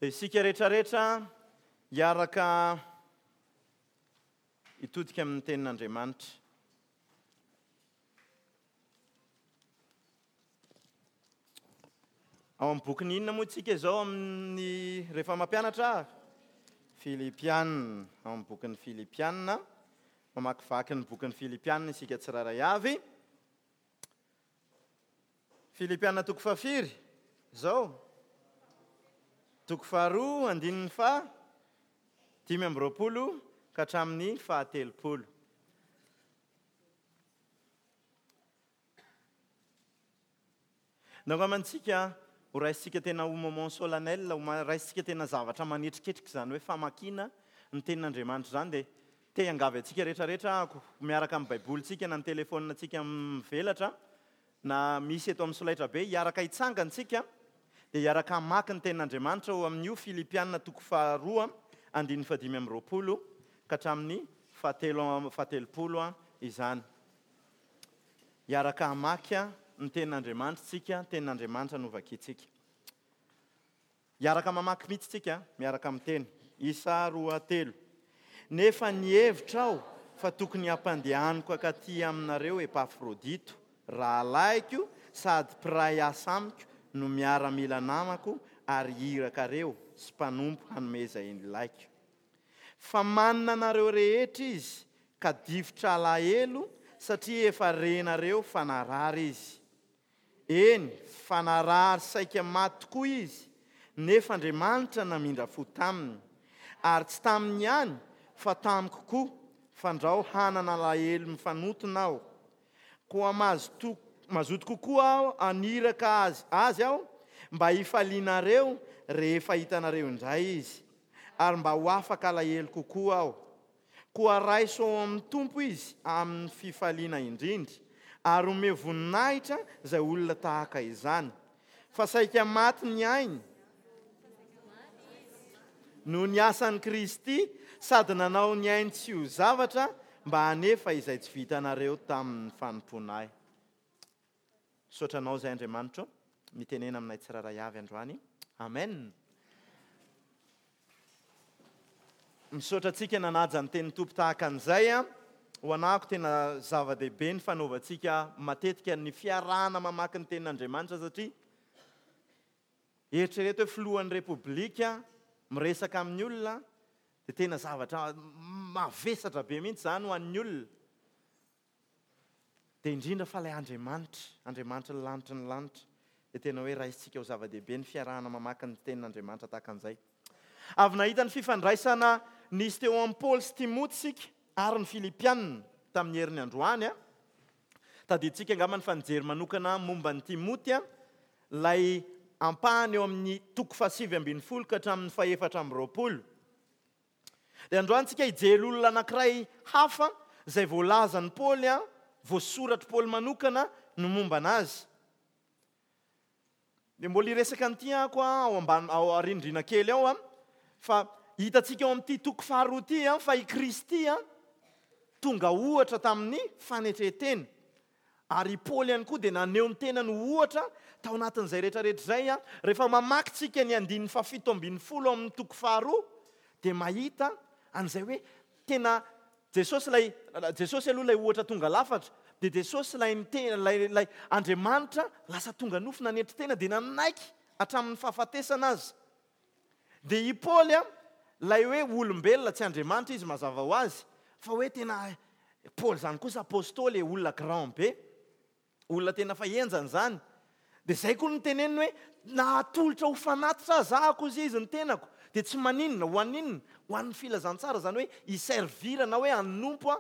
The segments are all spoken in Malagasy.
Dia isika rehetrarehetra hiaraka hitodika amin'ny tenin'Andriamanitra. Ao amin'ny bokin'ny inona moa isika izao amin'ny rehefa mampianatra? Filipiana, ao amin'ny bokin'ny Filipiana. Mamakivaky ny bokin'ny Filipiana isika tsirairay avy. Filipiana toko fahafiry izao? Toko faharoa, andininy faha 25 ka hatramin'ny faha-30. Nangamantsika ho raisintsika tena ho moment solennel, ho raisintsika tena zavatra manetriketrika izany hoe famakiana ny tenin'Andriamanitra izany dia te hiangavy antsika rehetra rehetra aho miaraka amin'ny baibolintsika na ny telefaonintsika mivelatra na misy eto amin'ny solaitrabe hiaraka hitsangana isika dia hiaraka hamaky ny tenin'Andriamanitra ao amin'io Filipiana toko faharoa andininy fahadimy amby roapolo ka hatramin'ny fahatelo fahatelopolo izany. Hiaraka hamaky ny Tenin'Andriamanitra isika, Tenin'Andriamanitra no vakintsika. Hiaraka mamaky mihitsy isika, miaraka miteny. Isa roa telo. Nefa nihevitra aho fa tokony hampandehaniko hankaty aminareo Epafrodito, rahalahiko sady mpiray asa amiko no miaramila namako ary irakareo sy mpanompo hanome izay ilaiko. Fa manina anareo rehetra izy ka difotra alahelo satria efa renareo fa narary izy. Eny, fa narary saika maty tokoa izy, nefa Andriamanitra namindra fo taminy. Ary tsy taminy ihany, fa tamiko koa, fandrao hanana alahelo mifanontona aho. Koa mazoto mazoto kokoa aho haniraka azy azy aho, mba hifalianareo rehefa hitanareo indray izy, ary mba ho afaka alahelo kokoa aho. Koa raiso ao amin'ny Tompo izy amin'ny fifaliana indrindra, ary omeo voninahitra izay olona tahaka izany. Fa saika maty ny ainy noho ny asan'i Kristy, sady nanao ny ainy tsy ho zavatra mba hanefa izay tsy vitanareo tamin'ny fanompoana ahy. Misaotra Anao izay Andriamanitro, mitenena aminay tsirairay avy androany. Amen. Misaotra antsika nanaja ny tenin'ny Tompo tahaka an'izay. Ho anahako tena zava-dehibe ny fanaovantsika matetika ny fiarahana mamaky ny tenin'Andriamanitra satria eritrereto hoe filohan'ny Repoblika miresaka amin'ny olona dia tena zavatra mavesatra be mihitsy izany ho an'ny olona. Dia indrindra fa ilay Andriamanitra, Andriamanitry ny lanitry ny lanitra, dia tena hoe raisintsika ho zava-dehibe ny fiarahana mamaky ny Tenin'Andriamanitra tahaka an'izay. Avy nahita ny fifandraisana nisy teo amin'i Paoly sy Timoty isika ary ny Filipiana tamin'ny heriny androany. Tadidintsika angamba ny fa nijery manokana momba an'i Timoty ilay ampahany eo amin'ny toko fahasivy ambin'ny folo ka hatramin'ny fahefatra amby roapolo. Dia androany tsika hijery olona anankiray hafa izay voalazan'i Paoly, voasoratr'i Paoly manokana ny momba anazy. Dia mbola hiresaka an'ity aho ao ambany, ao aoriandriana kely ao, fa hitantsika ao amin'ity toko faharoa ity fa i Kristy tonga ohatra tamin'ny fanetren-tena. Ary i Paoly ihany koa dia naneho ny tenany ho ohatra tao anatin'izay rehetra rehetra izay. Rehefa mamaky tsika ny andininy fahafito ambin'ny folo amin'ny toko faharoa dia mahita an'izay hoe tena Jesosy ilay, Jesosy aloha ilay ohatra tonga lafatra, dia Jesosy ilay niteny, ilay, ilay Andriamanitra lasa tonga nofo nanetry tena dia nanaiky hatramin'ny fahafatesana aza. Dia i Paoly an, ilay hoe olombelona, tsy Andriamanitra izy mazava ho azy, fa hoe tena Paoly izany kosa apostoly e, olona grand be, olona tena fa henjana izany. Dia izay koa no teneniny hoe na atolotra ho fanatitra aza aho kosa izy ny tenako, dia tsy maninona, ho an'inona? Ho an'ny filazantsara, izany hoe hi-servir na hoe hanompo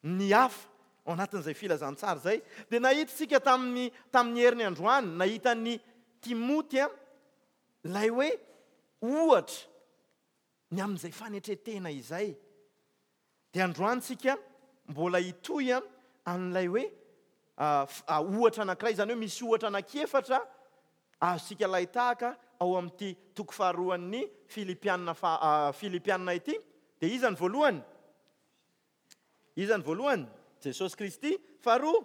ny hafa ao anatin'izay filazantsara izay. Dia nahita isika tamin'ny tamin'ny heriny androany, nahita an'i Timoty an, Ilay hoe ohatra ny amin'izay fanetren-tena izay. Dia androany tsika mbola hitohy amin'ilay hoe ohatra anankiray, izany hoe misy ohatra anankiefatra azontsika alain-tahaka ao amin'ity toko faharoan'ny Filipiana faha Filipiana ity. Dia iza ny voalohany? Iza ny voalohany? Jesosy Kristy. Faharoa?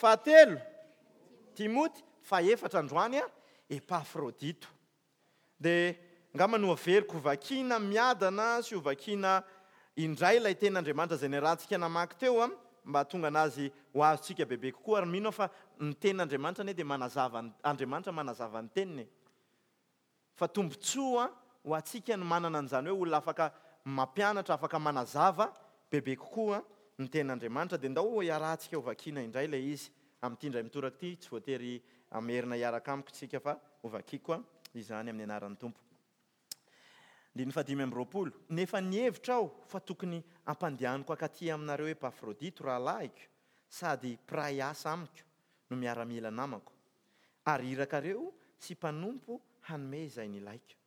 Fahatelo? Timoty. Fahefatra androany, Epafrodito. Dia Angamba nohaveriko hovakiana miadana sy hovakiana indray ilay tenin'Andriamanitra izay niarahantsika namaky teo mba hahatonga anazy ho azontsika bebe kokoa ary mino aho fa ny tenin'Andriamanitra anie dia manazava ny Andriamanitra manazava ny teniny e. Fa tombontsoa ho antsika ny manana an'izany hoe olona afaka mampianatra, afaka manazava bebe kokoa ny tenin'Andriamanitra. Dia ndao hiarahantsika hovakiana indray ilay izy amin'ity indray mitoraka ity, tsy voatery hamerina hiaraka amiko isika fa hovakiko izany amin'ny anaran'ny Tompo. Andininy fahadimy amby roapolo, Nefa nihevitra aho fa tokony hampandehaniko hankaty aminareo Epafrodito rahalahiko sady mpiray asa amiko no miaramila namako, ary irakareo sy mpanompo hanome izay nilaiko.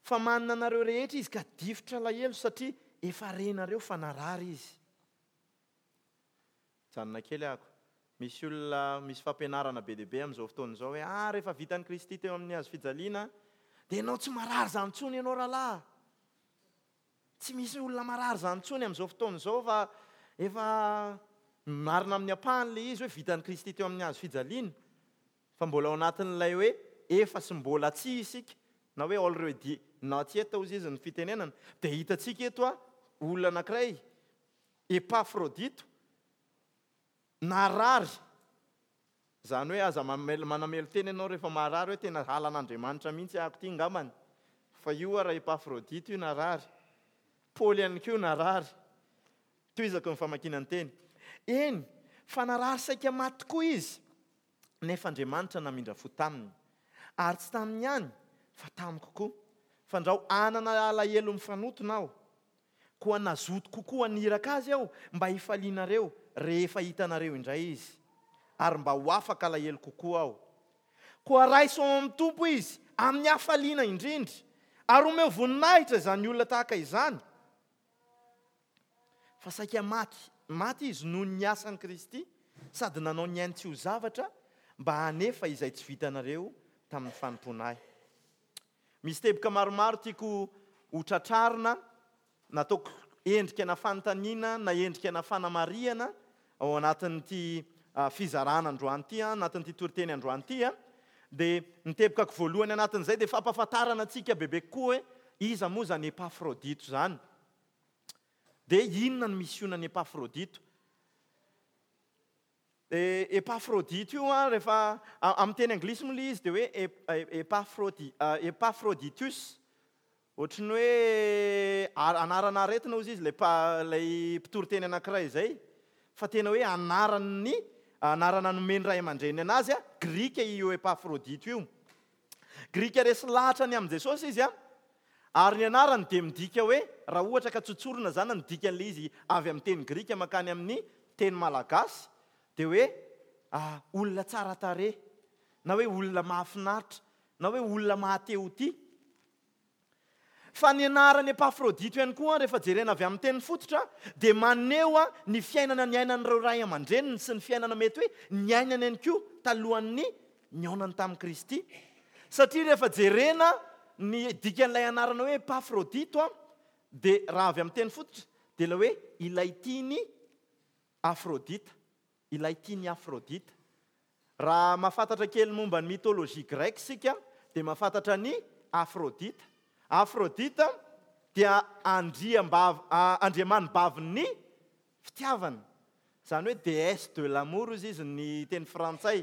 Fa manina anareo rehetra izy ka difotra alahelo satria efa renareo fa narary izy. Mijanona kely ako. Misy olona, misy fampianarana be dia be amin'izao fotoana izao hoe, ah, rehefa vitan'i Kristy teo amin'ny hazo fijaliana, dia ianao tsy marary izany intsony ianao rahalahy. Tsy misy olona marary izany intsony amin'izao fotoana izao fa efa marina amin'ny ampahany ilay izy hoe vitan'i Kristy teo amin'ny hazo fijaliana. Fa mbola ao anatin'ilay hoe efa sy mbola tsy isika, na hoe already not yet hozy izy ny fitenenana, dia hitantsika eto olona anankiray, Epafrodito, narary, izany hoe aza manamelo-tena ianao rehefa marary hoe tena halan'Andriamanitra mihitsy ahako ity angambany, fa io ara Epafrodito io narary, Paoly ihany koa narary. Tohizako ny famakiana ny teny. Eny, fa narary saika maty tokoa izy, nefa Andriamanitra namindra fo taminy. Ary tsy taminy ihany, fa tamiko koa, fandrao hanana alahelo mifanotona aho. Koa nazoto kokoa haniraka azy aho mba hifalianareo rehefa hitanareo indray izy, ary mba ho afaka alahelo kokoa aho. Koa raiso ao amin'ny Tompo izy amin'ny hafaliana indrindra, ary omeo voninahitra izany olona tahaka izany. Fa saika maty, maty izy noho ny asan'i Kristy, sady nanao ny ainy tsy ho zavatra mba hanefa izay tsy vitanareo tamin'ny fanompoana ahy. Misy teboka maromaro tiako ho tratrarina, nataoko endrika na fanontaniana na endrika na fanamarihana ao anatin'ity fizarana androany ity, anatin'ity toriteny androany ity. Dia ny tebokako voalohany anatin'izay dia fampahafantarana antsika bebe kokoa hoe iza moa izany Epafrodito izany? Dia inona ny misionan'i Epafrodito? Dia Epafrodito io an, rehefa amin'ny teny anglisy moa ilay izy dia hoe Epafrodi, Epafroditus. Ohatry ny hoe anarana aretina hozy izy ilay ilay mpitory teny anankiray izay, fa tena hoe anaran'ny anarana nomen'ny ray aman-dreniny anazy an, grika io Epafrodito io. Grika resy lahatra ny amin'i Jesosy izy an, ary ny anarany dia midika hoe, raha ohatra ka tsotsorina izany ny dikan'ilay izy avy amin'ny teny grika mankany amin'ny teny malagasy, dia hoe olona tsara tarehy, na hoe olona mahafinaritra, na hoe olona maha-te ho tia. Fa ny anaran'i Epafrodito ihany koa, rehefa jerena avy amin'ny teny fototra, dia maneho ny fiainana niainan'ireo ray aman-dreniny sy ny fiainana mety hoe niainany ihany koa talohan'ny nihaonany tamin'i Kristy. Satria rehefa jerena ny dikan'ilay anarana hoe Epafrodito, dia raha avy amin'ny teny fototra, dia ilay hoe ilay tian'i Afrodita. Ilay tian'i Aphrodite. Raha mahafantatra kely momba ny mythologie grecque isika dia mahafantatra an'i Aphrodite. Aphrodite dia andriambavy, andriamanibavin'ny fitiavana. Izany hoe déesse de l'amour hozy izy ny teny frantsay.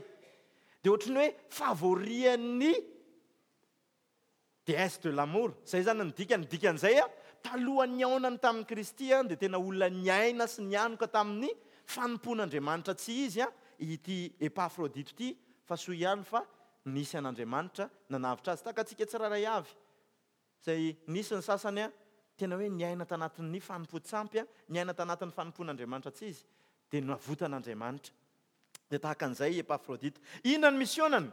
Dia ohatran'ny hoe favori-n'ny Déesse de l'amour, izay izany ny dikany, ny dikan'izay talohan'ny nihaonany tamin'i Kristy dia tena olona niaina sy nianoka tamin'ny fanompoan'Andriamanitra tsy izy ity Epafrodito ity fa soa ihany fa nisy an'Andriamanitra nanavotra azy tahaka antsika tsirairay avy izay nisy ny sasany tena hoe niaina tanatin'ny fanompoan-tsampy, niaina tanatin'ny fanompoan'Andriamanitra tsy izy dia navotan'Andriamanitra. Dia tahaka an'izay i Epafrodita. Inona ny misionany?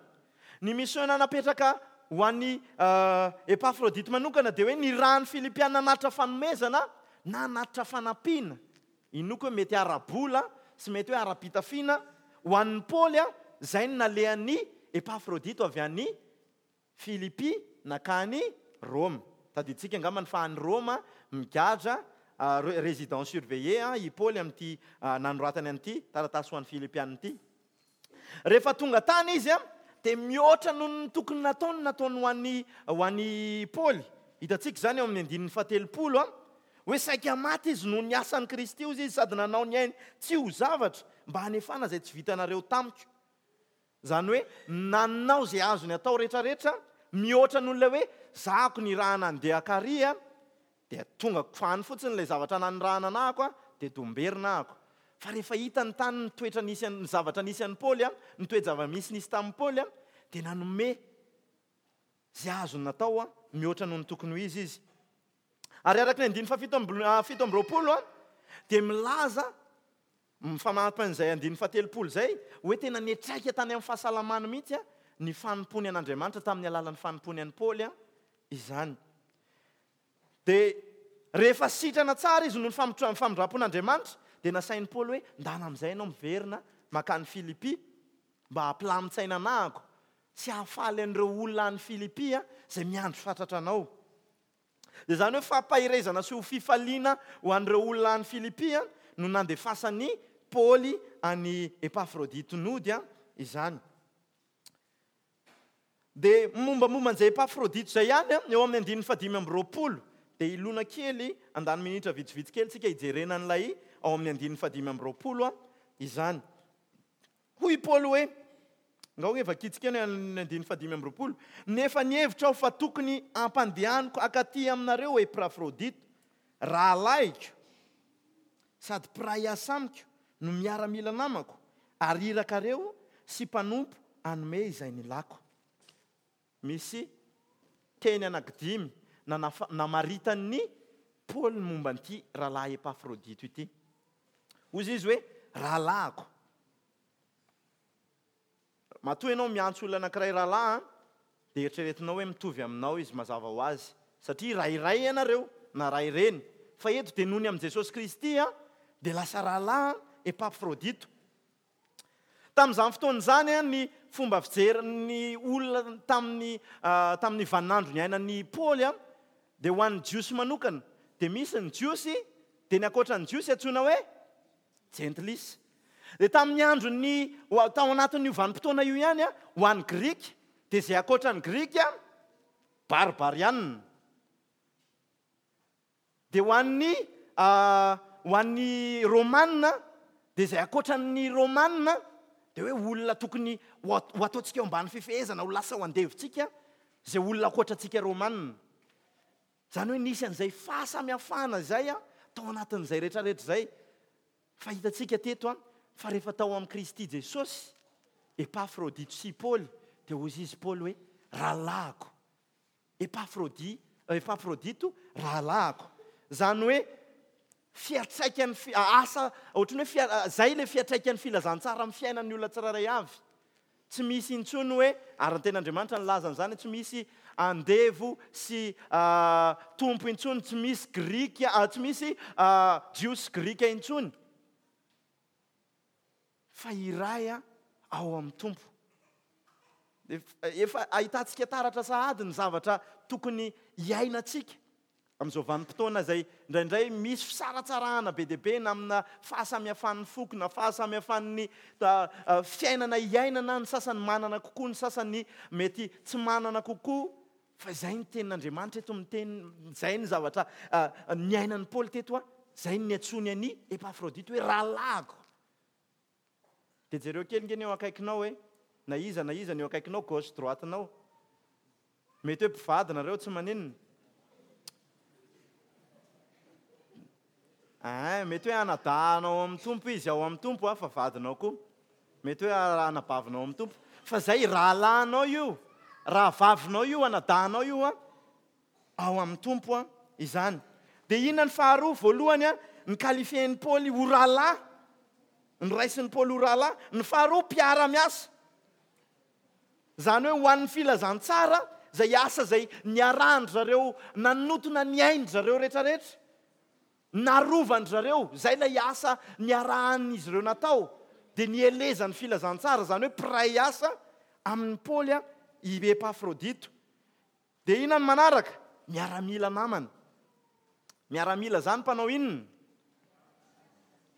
Ny misiona napetraka ho an'i Epafrodita manokana dia hoe nirahan'ny Filipiana hanatitra fanomezana na hanatitra fanampiana, inoako hoe mety ara-bola sy mety hoe ara-pitafiana, ho an'i Paoly, izay no nalehan'i Epafrodito avy any Filipy nankany Roma. Tadidintsika angambany fa any Roma migadra résidence surveillée i Paoly amin'ity nanoratany an'ity taratasy ho an'ny Filipiana ity. Rehefa tonga tany izy dia mihoatra noho ny tokony nataony nataony ho an'i ho an'i Paoly. Hitantsika izany ao amin'ny andininy fahatelopolo hoe saika maty izy noho ny asan'i Kristy hozy izy sady nanao ny ainy tsy ho zavatra mba hanefana izay tsy vitanareo tamiko. Izany hoe nanao izay azony atao rehetrarehetra mihoatra noho ilay hoe zahako nirahana handeha kary dia tonga any fotsiny ilay zavatra nanirahana anahako dia domberina ahako. Fa rehefa hitany tany ny toetra nisy ny zavatra nisy an'i Paoly, ny toe-java-misy nisy tamin'i Paoly dia nanome izay azony natao mihoatra noho ny tokony ho izy izy. Ary araka ny andininy faha 27 dia milaza Mifanampy an'izay andininy fahatelopolo izay, hoe tena niantraika tany amin'ny fahasalamany mihitsy ny fanompoany an'Andriamanitra tamin'ny alalan'ny fanompoany an'i Paoly izany. Dia rehefa sitrana tsara izy noho ny famindram-pon'Andriamanitra, dia nasain'i Paoly hoe, ndana amin'izay ianao miverina mankany Filipy mba hampilamin-tsaina anahako sy hahafaly an'ireo olona any Filipy izay miandry fatratra anao. Dia izany hoe fampaherezana sy ho fifaliana ho an'ireo olona any Filipy no nandefasan'i Paoly an'i Epafrodito nody izany. Dia mombamomba an'izay Epafrodito izay ihany, eo amin'ny andininy fahadimy amby roapolo, dia hilona kely, handany minitra vitsivitsy kely tsika hijerena an'ilay ao amin'ny andininy fahadimy amby roapolo izany. Hoy i Paoly hoe, Angao hoe vakintsika ny andininy fahadimy amby roapolo, Nefa nihevitra aho fa tokony hampandehaniko hankaty aminareo Epafrodito, rahalahiko sady mpiray asa amiko no miaramila namako, ary irakareo sy mpanompo hanome izay nilako. Misy teny anankidimy namaritan'i Paoly ny momba an'ity rahalahy Epafrodito ity. Hoy izy hoe, Rahalahiko. Matoa ianao miantso olona anankiray rahalahy, dia eritreretinao hoe mitovy aminao izy mazava ho azy, satria ray iray ianareo, na ray reny. Fa eto dia noho ny amin'i Jesosy Kristy, dia lasa rahalahy Epafrodito. Tamin'izany fotoana izany, ny fomba fijerin'ny olona tamin'ny tamin'ny vaninandro niainan'i Paoly dia ho an'ny Jiosy manokana. Dia misy ny Jiosy, dia ny ankoatra ny Jiosy antsoina hoe Jentilisa. Dia tamin'ny andron'ny tao anatin'io vanim-potoana io ihany, ho an'ny Grika, dia izay ankoatra ny Grika, Barbarianina. Dia ho an'ny ho an'ny Romana, dia izay ankoatra ny Romana, dia hoe olona tokony ho ho ataontsika eo ambany fifehezana, ho lasa ho andevontsika, izay olona ankoatra antsika Romana. Izany hoe nisy an'izay fahasamihafana izay tao anatin'izay rehetrarehetra izay. Fa hitantsika teto fa rehefa tao amin'i Kristy Jesosy, Epafrodito sy Paoly, dia hoy izy Paoly hoe, rahalahiko. Epafrodi, Epafrodito rahalahiko. Izany hoe fiantraikan'ny fi, asa, ohatran'ny hoe fia, izay ilay fiantraikan'ny filazantsara amin'ny fiainan'ny olona tsirairay avy. Tsy misy intsony hoe, ary ny tenin'Andriamanitra nilaza an'izany, tsy misy andevo sy tompo intsony, tsy misy grika, tsy misy jiosy sy grika intsony. Fa iray ao amin'ny Tompo. Efa ahitantsika taratra sahady ny zavatra tokony hiainantsika amin'izao vanim-potoana izay indraindray misy fisaratsarahana be dia be na amina fahasamihafan'ny foko na fahasamihafan'ny fiainana iainana, ny sasany manana kokoa, ny sasany mety tsy manana kokoa. Fa izay ny tenin'Andriamanitra eto miteny, izay ny zavatra niainan'i Paoly teto, izay ny niantsoany an'i Epafrodito hoe rahalahiko. Dia jereo kely nge ny eo akaikinao e, na iza na iza ny eo akaikinao, gauche droite-nao. Mety hoe mpivady nareo, tsy maninona. Ein, mety hoe anadahinao ao amin'ny Tompo izy, ao amin'ny Tompo fa vadinao koa. Mety hoe anabavinao ao amin'ny Tompo. Fa izay rahalahinao io, rahavavinao io, anadahinao io an, ao amin'ny Tompo an, izany. Dia inona ny faharoa? Voalohany an, ny qualifier-n'i Paoly ho rahalahy, noraisin'i Paoly ho rahalahy. Ny faharoa, mpiara-miasa. Izany hoe ho an'ny filazantsara, izay asa izay niarahan-dry zareo nanotona ny ain-dry zareo rehetrarehetra, narovan-dry zareo, izay ilay asa niarahan'izy ireo natao, dia nielezan'ny filazantsara, izany hoe mpiray asa amin'i Paoly i Epafrodito. Dia inona ny manaraka? Miaramila namana. Miaramila izany mpanao inona?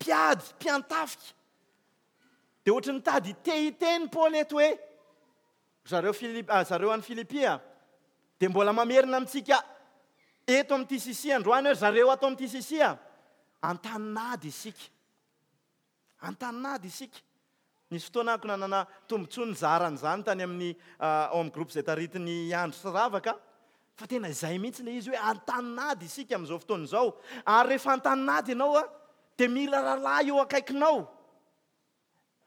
Mpiady, mpiantafika. Dia ohatry ny mitady te hiteny Paoly eto hoe, Zareo Filip, zareo any Filipia dia mbola mamerina amintsika eto amin'ny TCC androany hoe zareo ato amin'ny TCC a, an-tanin'ady isika. An-tanin'ady isika. Nisy fotoana ako nanana tombontsoa nizara an'izany tany amin'ny ao amin'ny groupe izay taritin'i Andry sy Ravaka, fa tena izay mihitsy ilay izy hoe an-tanin'ady isika amin'izao fotoana izao. Ary rehefa an-tanin'ady ianao dia mila rahalahy eo akaikinao.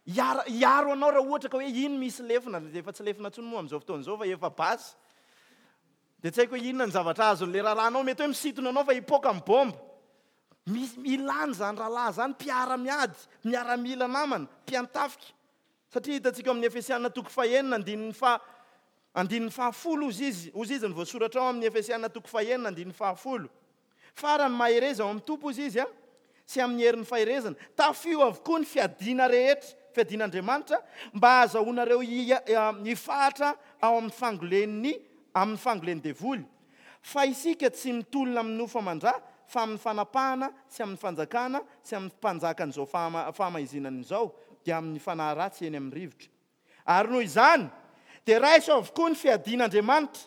Hiara, hiaro anao raha ohatra ka hoe iny misy lefona, efa tsy lefona intsony moa amin'izao fotoana izao fa efa basy. Dia tsy haiko hoe inona ny zavatra azon'ilay rahalahinao, mety hoe misintona anao fa hipoaka ny bomba. Misy, ilana izany rahalahy izany, mpiara-miady, miaramila namana, mpiantafika. Satria hitantsika ao amin'ny Efesiana toko fahenina andininy faha, andininy fahafolo hozy izy, hozy izy ny voasoratra ao amin'ny Efesiana toko fahenina andininy fahafolo. Farany, mahereza ao amin'ny Tompo, hozy izy, sy amin'ny herin'ny faherezana. Tafio avokoa ny fiadiana rehetra, fiadian'Andriamanitra, mba hahazahoanareo hifahatra ao amin'ny fangolen'ny amin'ny fangolen'ny devoly. Fa isika tsy mitolona amin'ny nofo aman-dra, fa amin'ny fanapahana sy amin'ny fanjakana sy amin'ny mpanjakan'izao fahamaizinana izao, dia amin'ny fanahy ratsy eny amin'ny rivotra. Ary noho izany, dia raiso avokoa ny fiadian'Andriamanitra,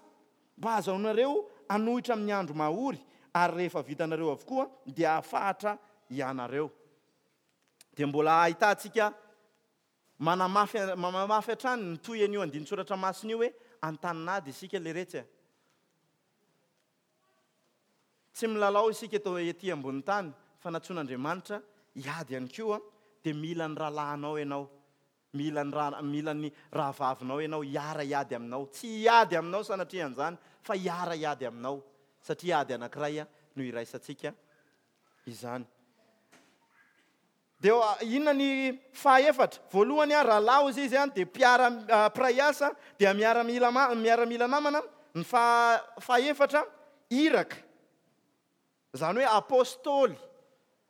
mba hahazahoanareo hanohitra amin'ny andro mahory, ary rehefa vitanareo avokoa, dia hahafahatra hianareo. Dia mbola ahitantsika manamafy manamafy hatrany ny toy an'io andinin-tsoratra masina io hoe an-tanin'ady isika leretsy a. Tsy milalao isika eto ety ambonin'ny tany fa nantsoin'Andriamanitra hiady ihany koa, dia mila ny rahalahinao ianao. Mila ny ra, mila ny rahavavinao ianao hiara hiady aminao. Tsy hiady aminao sanatria an'izany fa hiara hiady aminao satria ady anankiray no iraisantsika izany. Dia inona ny fahaefatra? Voalohany, rahalahy hozy izy dia mpiara, mpiray asa, dia miaramila, miaramila namana. Ny faha, fahaefatra, iraka. Izany hoe apostoly,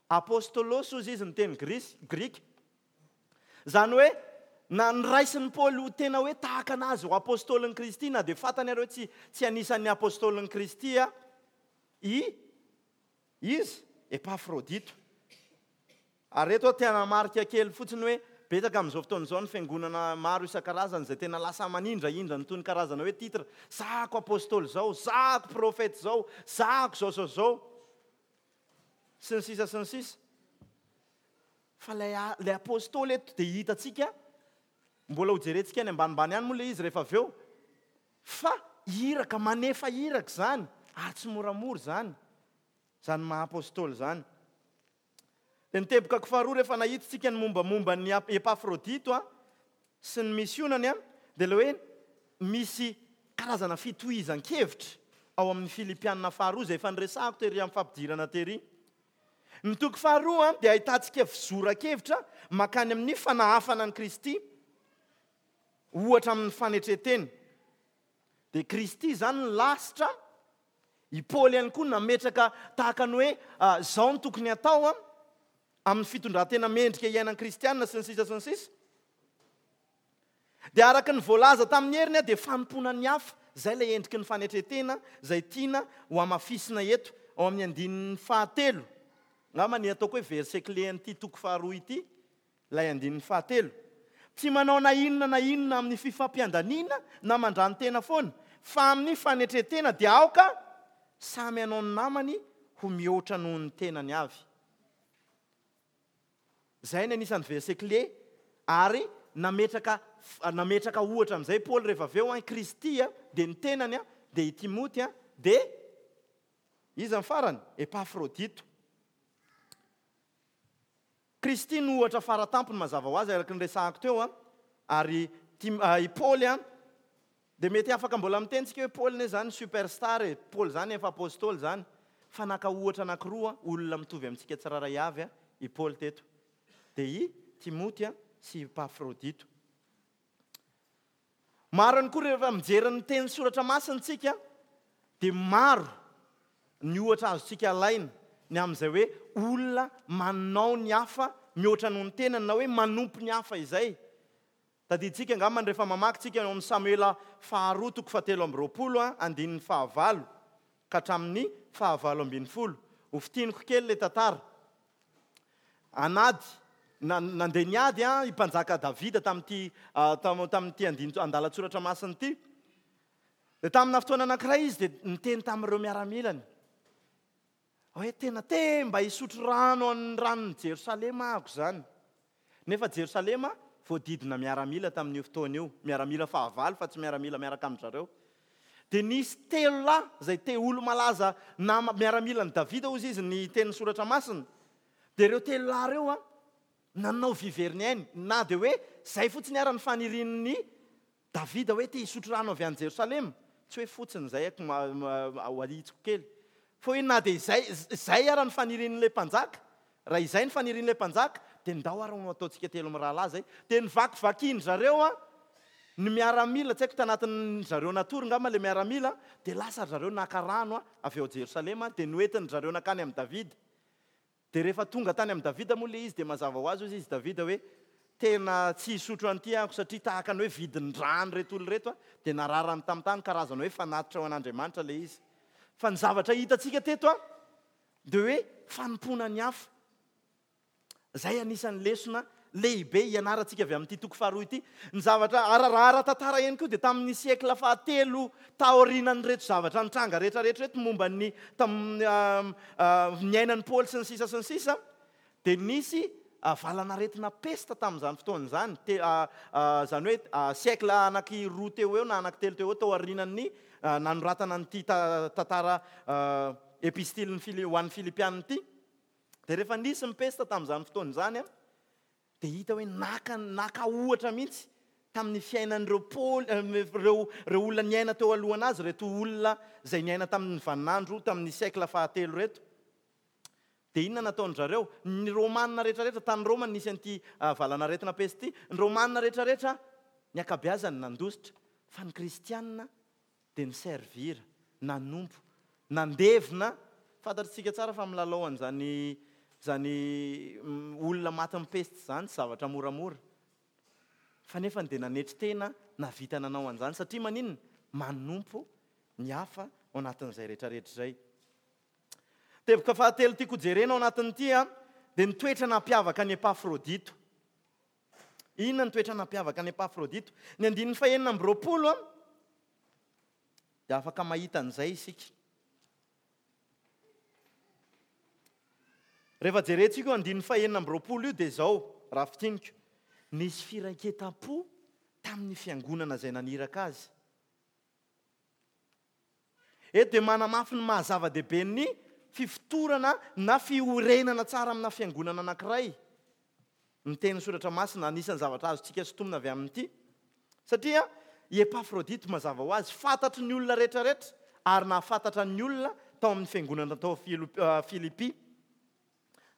apostolos hozy izy ny teny grisy, grika. Izany hoe na noraisin'i Paoly ho tena hoe tahaka an'azy ho apostolin'i Kristy na dia fantany ary hoe tsy tsy anisan'ny apostolin'i Kristy i izy, Epafrodito. Ary eto aho te hanamarika kely fotsiny hoe betsaka amin'izao fotoana izao ny fiangonana maro isan-karazany izay tena lasa manindrahindra an'itony karazana hoe titre, zahako apostoly izao, zahako profeta izao, zahako izao sy izao, sy ny sisa sy ny sisa. Fa ilay ilay apostoly eto dia hitantsika, mbola hojerentsika any ambanimbany any moa ilay izy rehefa avy eo, fa iraka, manefa iraka izany, ary tsy moramora izany, izany maha apostoly izany. Dia ny teboka faharoa rehefa nahita isika ny mombamomba an'i Epafrodito sy ny misionany dia ilay hoe misy karazana fitohizan-kevitra ao amin'ny Filipiana faharoa izay efa niresahako tery amin'ny fampidirana tery. Ny toko faharoa dia ahitantsika fizoran-kevitra mankany amin'ny fanahafana an'i Kristy, ohatra amin'ny fanetren-tena. Dia Kristy izany ny lasitra, i Paoly ihany koa nametraka tahaka ny hoe izao no tokony hatao amin'ny fitondran-tena mendrika iainan'ny kristiana sy ny sisa sy ny sisa. Dia araka ny voalaza tamin'ny heriny dia fanompoana ny hafa, izay ilay endriky ny fanetren-tena izay tiana ho hamafisina eto ao amin'ny andininy fahatelo. Angamba ny ataoko hoe verset clé an'ity toko faharoa ity Ilay andininy fahatelo. Tsy manao na inona na inona amin'ny fifampiandaniana na mandrano-tena foana, fa amin'ny fanetren-tena dia aoka samy hanao ny namany ho mihoatra noho ny tenany avy. Izay ny anisan'ny verset clé ary nametraka nametraka ohatra amin'izay Paoly rehefa avy eo an, Kristy dia ny tenany dia i Timoty dia iza ny farany? Epafrodito. Kristy no ohatra fara tampony mazava ho azy araka ny resahako teo an, ary i Paoly an, dia mety afaka mbola miteny tsika hoe Paoly ne zany super star e, Paoly zany efa apostoly zany, fa naka ohatra anakiroa olona mitovy amintsika tsirairay avy i Paoly teto, dia i Timoty sy i Epafrodito. Maro ihany koa rehefa mijery ny teny soratra masina isika dia maro ny ohatra azontsika alaina ny amin'izay hoe olona manao ny hafa mihoatra noho ny tenany na hoe manompo ny hafa izay. Tadidintsika angamba ny rehefa mamaky tsika ao amin'ny Samoela faharoa toko fahatelo amby roapolo andininy fahavalo ka hatramin'ny fahavalo ambin'ny folo. Ho fintiniko kely ilay tantara. An'ady. nandeha niady i mpanjaka Davida tamin'ity tamin'ity andinin andalan-tsoratra masina ity. Dia tamina fotoana anankiray izy dia niteny tamin'ireo miaramilany hoe tena te mba hisotro rano an'ny ranon'i Jerosalema ahako izany. Nefa Jerosalema voadidina miaramila tamin'io fotoana io, miaramila fahavalo fa tsy miaramila miaraka amin-dry zareo. Dia nisy telo lahy izay te olo-malaza nama miaramilan'i Davida hozy izy ny tenin'ny soratra masina. Dia ireo telo lahy ireo an, nanao vy very ny ainy, na dia hoe izay fotsiny ara ny fanirian'i Davida hoe te hisotro rano avy any Jerosalema, tsy hoe fotsiny izay ako ho ahitsiko kely, fa hoe na dia izay izay ara ny fanirian'ilay mpanjaka, raha izay ny fanirian'ilay mpanjaka, dia ndao ara ho ataontsika telo mirahalahy izay. Dia nivakivakian-dry zareo an, ny miaramila, tsy haiko tanatin-dry zareo natory angamba ilay miaramila, dia lasa ry zareo naka rano avy ao Jerosalema, dia noentin-dry zareo nankany amin'i Davida. Dia rehefa tonga tany amin'i Davida moa ilay izy dia mazava ho azy hozy izy Davida hoe, Tena tsy hisotro an'ity aho satria tahaka ny hoe vidin-drano ireto olona ireto a! Dia nararany tamin'ny tany karazana hoe fanatitra ho an'Andriamanitra ilay izy. Fa ny zavatra hitantsika teto a, dia hoe fanompoana ny hafa. Izay anisan'ny lesona lehibe ianarantsika avy amin'ity toko faharoa ity. Ny zavatra ara raha ara-tantara ihany koa dia tamin'ny siècle fahatelo taorianan'ireto zavatra nitranga rehetra rehetra ireto momba ny tamin'ny niainan'i Paoly sy ny sisa sy ny sisa dia nisy valanaretina pesta tamin'izany fotoana izany, te izany hoe siècle anaky roa teo ho eo na anaky telo teo ho eo taorianan'ny nanoratana an'ity tantara epistilin'ny Fili- ho an'ny Filipiana ity. Dia rehefa nisy ny pesta tamin'izany fotoana izany, dia hita hoe naka naka ohatra mihitsy tamin'ny fiainan'ireo Paoly, ireo ireo olona niaina teo alohanazy ireto olona izay niaina tamin'ny vaninandro tamin'ny siècle fahatelo ireto. Dia inona nataon-dry zareo? Ny Romana rehetrarehetra, tany Roma no nisy an'ity valanaretina pesta ity, ny Romana rehetrarehetra ny ankabeazany nandositra, fa ny Kristiana dia ni-servir, nanompo, nandevina, fantatr'tsika tsara fa milalao an'izany izany olona matin'ny peste izany tsy zavatra moramora, fa nefany dia nanetry tena nahavita nanao an'izany satria maninona? Manompo ny hafa ao anatin'izay rehetrarehetra izay. Teboka fahatelo tiako hojerena ao anatin'ity dia ny toetra nampiavaka an'i Epafrodito. Inona ny toetra nampiavaka an'i Epafrodito? Ny andininy fahenina amby roapolo dia afaka mahita an'izay isika. Rehefa jerentsika io andininy fahenina amby roapolo io dia izao, raha fintiniko, nisy firaiketam-po tamin'ny fiangonana izay naniraka azy. Eto dia manamafy ny maha zava-dehibe ny fifotorana na fiorenana tsara amina fiangonana anankiray ny tenin'ny Soratra Masina. Anisan'ny zavatra azontsika sintomina avy amin'ity, satria i Epafrodito mazava ho azy fantatry ny olona rehetrarehetra ary nahafantatra ny olona tao amin'ny fiangonana tao Filipy.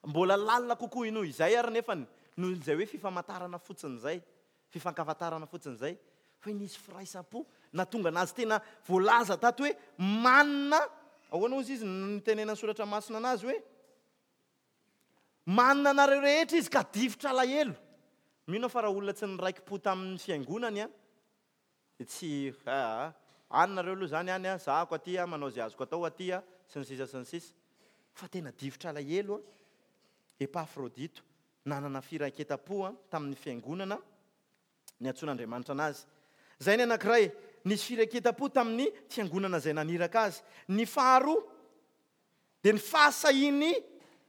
Mbola lalina kokoa noho izay ary nefany, noho izay hoe fifamantarana fotsiny izay, fifankafantarana fotsiny izay, fa hoe nisy firaisam-po nahatonga anazy tena voalaza tato hoe manina, ahoana hozy izy no nitenenan'ny Soratra Masina anazy hoe, manina anareo rehetra izy ka difotra alahelo. Mino aho fa raha olona tsy niraiki-po tamin'ny fiangonany an, Dia tsy aa, any nareo aloha izany any a, zahako aty a, manao izay azoko atao aty a, sy ny sisa sy ny sisa. Fa tena difotra alahelo a, Epafrodito, nanana firaiketam-po a, tamin'ny fiangonana niantsoan'Andriamanitra anazy. Izay ny anankiray, nisy firaiketam-po tamin'ny fiangonana izay naniraka azy. Ny faharoa, dia ny fahasahiany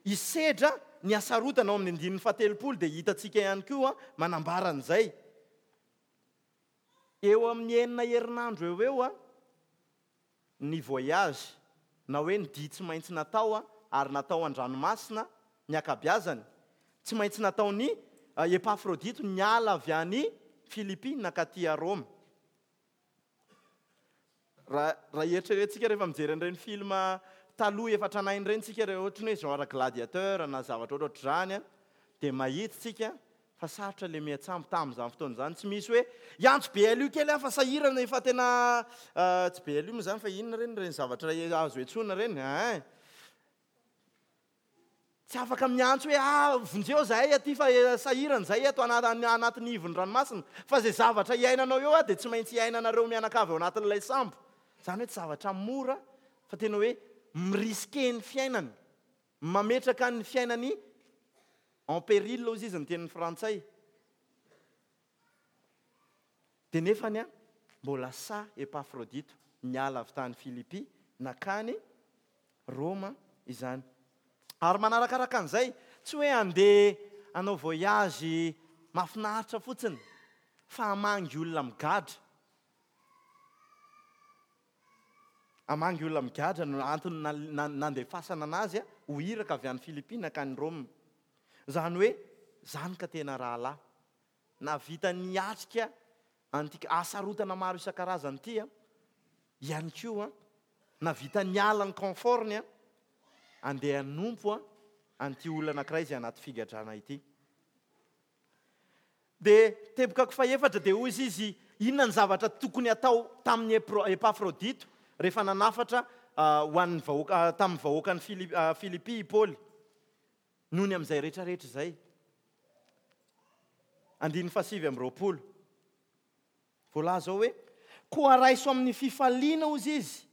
hisedra ny hasarotana ao amin'ny andininy fahatelopolo dia hitantsika ihany koa manambara an'izay. Eo amin'ny enina herinandro eo ho eo ny voyage na hoe ny dia tsy maintsy natao ary natao an-dranomasina ny ankabiazany. Tsy maintsy nataon'i Epafrodito niala avy any Filipy nankaty a Roma. Raha raha eritreretintsika rehefa mijery an'ireny film taloha efa tranainy ireny tsika re ohatry ny hoe genre gladiateur na zavatra ohatrohatr'izany an, dia mahita tsika fa sarotra ilay miantsambo tamin'izany fotoana izany, tsy misy hoe hiantso BLU kely aho fa sahirana efa tena tsy BLU moa izany fa inona ireny ireny zavatra azo iantsoana ireny ein. Tsy afaka miantso hoe ah vonjeo zahay aty fa sahirana zahay eto anatin'ny ivon'ny ranomasina fa izay zavatra iainanao eo ah dia tsy maintsy iainanareo mianakavy ao anatin'ilay sambo. Izany hoe tsy zavatra mora fa tena hoe mi-risquer ny fiainany, mametraka ny fiainany. En péril hozy izy ny tenin'ny frantsay. Dia nefany an, mbola sahy Epafrodito niala avy tany Filipy nankany Roma izany. Ary manarakaraka an'izay, tsy hoe handeha hanao voyage mahafinaritra fotsiny fa hamangy olona migadra. Hamangy olona migadra no antony nandefasana anazy ho iraka avy any Filipy nankany Roma. Izany hoe, izany ka tena rahalahy. Nahavita niatrika an'ity hasarotana maro isan-karazany ity ihany koa, nahavita niala ny confort-ny handeha hanompo an'ity olona anankiray izay anaty figadrana ity. Dia tebokako fahefatra dia hoy izy, inona ny zavatra tokony hatao tamin'i Epafrodito rehefa nanafatra ho an'ny vahoaka tamin'ny vahoakan'i Filipy i Paoly? Noho ny amin'izay rehetra rehetra izay. Andininy fahasivy amby 20. Voalaza ao hoe, Koa raiso amin'ny fifaliana, hozy izy,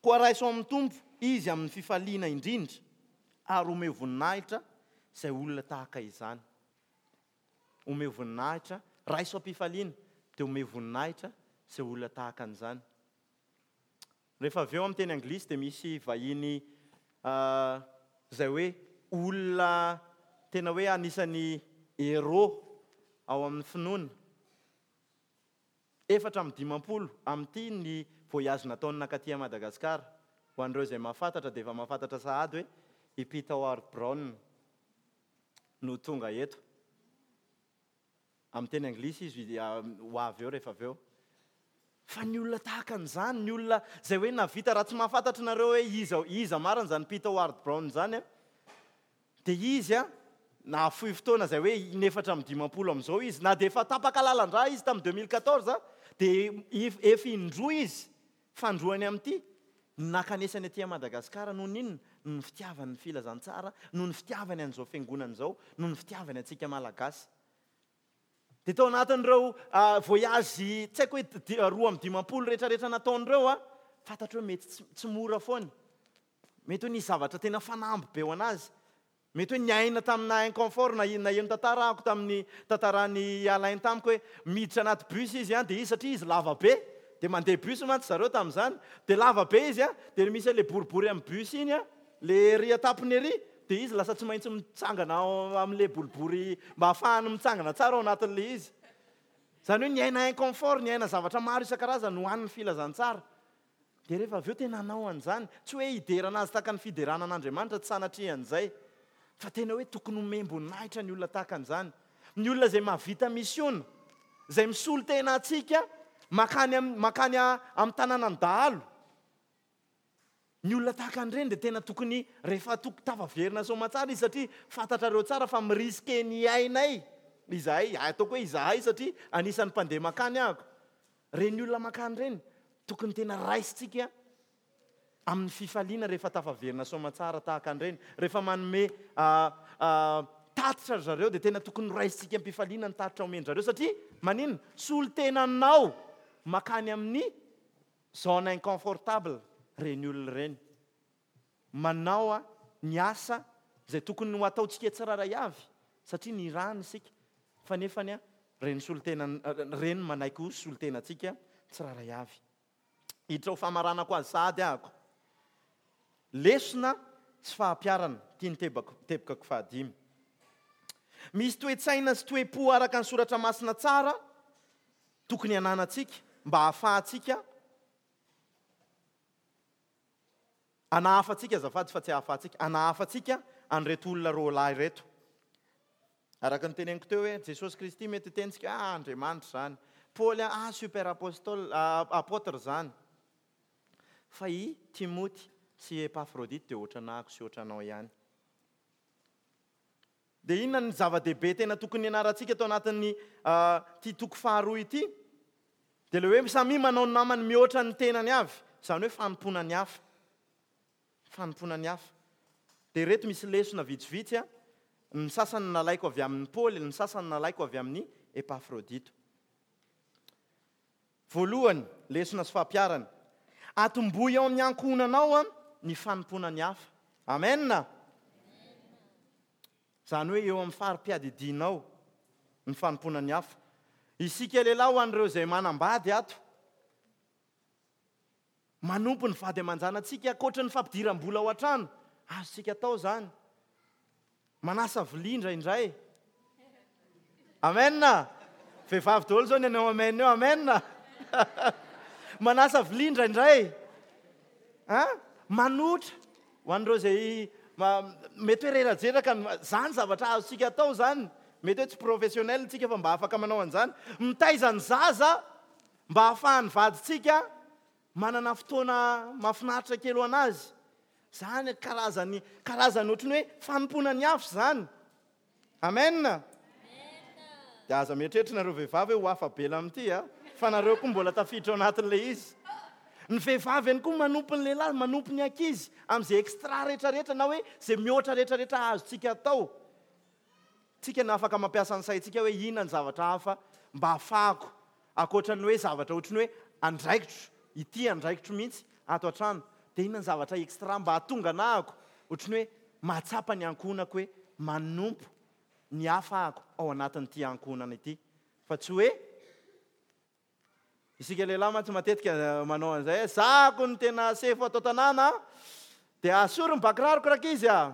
koa raiso amin'ny Tompo izy amin'ny fifaliana indrindra, ary omeo voninahitra izay olona tahaka izany. Omeo voninahitra, raiso am-pifaliana, dia omeo voninahitra izay olona tahaka an'izany. Rehefa avy eo amin'ny teny anglisy dia misy vahiny izay hoe olona tena hoe anisan'ny héros ao amin'ny finoana. 54 amin'ity ny voyage nataony nankaty Madagasikara. Ho an'ireo izay mahafantatra dia efa mahafantatra sahady hoe i Peter Howard Brown no tonga eto. Amin'ny teny anglisy izy ho avy eo rehefa avy eo. Fa ny olona tahaka an'izany, ny olona izay hoe nahavita, raha tsy mahafantatra nareo hoe iza, iza marina izany Peter Ward Brown izany an, dia izy an, nahafoy fotoana izay hoe in-54 amin'izao izy, na dia efa tapaka lalan-drà izy tamin'ny 2014, dia efa indroa izy, fandroany amin'ity, no nankanesany aty Madagasikara, noho ny inona? Noho ny fitiavany ny filazantsara, noho ny fitiavany an'izao fiangonana izao, noho ny fitiavany antsika Malagasy. Dia tao anatin'ireo voyage tsy haiko hoe 52 rehetrarehetra nataony ireo an, fantatro hoe mety tsy mora foana. Mety hoe nisy zavatra tena fanamby be ho an'azy. Mety hoe niaina tamina inconfort na naheno tantara ahako tamin'ny tantaran'i Alain tamiko hoe miditra anaty bus izy an, dia izy satria izy lava be, dia mandeha bus mantsy zareo tamin'izany, dia lava be izy an, dia misy an'ilay boribory amin'ny bus iny an, Le ery an-tampony ery dia izy lasa tsy maintsy mitsangana ao amin'ilay boribory mba hahafahany mitsangana tsara ao anatin'ilay izy. Izany hoe niaina inconfort, niaina zavatra maro isan-karazany ho an'ny filazantsara. Dia rehefa avy eo tena hanao an'izany. Tsy hoe hiderana azy tahaka ny fiderana an'Andriamanitra, tsy sanatria an'izay. Fa tena hoe tokony homem-boninahitra ny olona tahaka an'izany. Ny olona izay mahavita misiona, izay misolo tena antsika mankany mankany amin'ny tanànan'ny dahalo. Ny olona tahaka an'ireny dia tena tokony rehefa toko tafaverina soamatsara izy satria fantatrareo tsara fa mi-risque ny ainay izahay, ataoko hoe izahay satria anisan'ny mpandeha mankany ahako. Ireny olona mankany ireny tokony tena raisintsika amin'ny fifaliana rehefa tafaverina soamatsara tahaka an'ireny. Rehefa manome tatitra ry zareo dia tena tokony raisintsika am-pifaliana ny tatitra omen-dry zareo satria maninona? Solontenanao mankany amin'ny Zone inconfortable reny olona ireny. Manao ny asa izay tokony ho ataontsika tsirairay avy satria nirahana isika fa nefany reny solontena reny manaiky ho solontenantsika tsirairay avy. Hiditra ho famaranako azy sahady ahako. Lesona sy fahampiarana, ity ny tebako tebokako fahadimy. Misy toe-tsaina sy toe-po araka ny soratra masina tsara tokony hananantsika mba hahafahantsika hanahafantsika, azafady fa tsy hahafahantsika, hanahafantsika an'ireto olona roalahy ireto. Araka ny teneniko teo hoe Jesosy Kristy mety hitentsika, ah Andriamanitra izany. Paoly, ah super apostole, apôtre izany. Fa i Timoty sy Epafrodite dia ohatranahako sy ohatranao ihany. Dia inona ny zava-dehibe tena tokony hianarantsika ato anatin'ny ity toko faharoa ity? Dia ilay hoe samia manao ny namany mihoatra ny tenany avy, izany hoe fanompoana ny hafa. Fanompoana ny hafa. Dia ireto misy lesona vitsivitsy, ny sasany nalaiko avy amin'i Paoly, ny sasany nalaiko avy amin'i Epafrodito. Voalohany, lesona sy fampiharana. Atombohy ao amin'ny ankohonanao ny fanompoana ny hafa. Amen! Izany hoe eo amin'ny fari-piadidianao ny fanompoana ny hafa. Isika lehilahy ho an'ireo izay manambady ato, manompo ny vady aman-janatsika ankoatra ny fampidiram-bola ao an-trano, azontsika atao izany. Manasa vilia indraindray. Amen! Vehivavy daholo izao ny hanao amen eo, amen! Manasa vilia indraindray. An? Manotra. Ho an'ireo izay mety hoe rerajeraka, izany zavatra azontsika atao izany. Mety hoe tsy professionnel tsika fa mba afaka manao an'izany. Mitaiza ny zaza mba hahafahan'ny vadintsika manana fotoana mahafinaritra kely ho an'azy. Izany karazany, karazany ohatran'ny hoe fanompoana ny hafa izany. Amen! Dia aza mieritreritra nareo vehivavy hoe ho afa-bela amin'ity a! Fa nareo koa mbola tafiditra ao anatin'ilay izy. Ny vehivavy ihany koa manompo ny lehilahy, manompo ny ankizy amin'izay extra rehetrarehetra na hoe izay mihoatra rehetrarehetra azontsika atao. Tsika no afaka mampiasa ny saintsika hoe inona ny zavatra hafa mba hahafahako ankoatra ny hoe zavatra ohatry ny hoe andraikitro, ity andraikitro mihitsy ato an-trano, dia inona ny zavatra extra mba hahatonga anahako ohatry ny hoe mahatsapa ny ankohonako hoe manompo ny hafa ahako ao anatin'ity ankohonana ity fa tsy hoe Isika lehilahy mantsy matetika manao an'izay hoe zahako ny tena sefo ato an-tanàna a, dia asory ny bakiraroko rankizy a!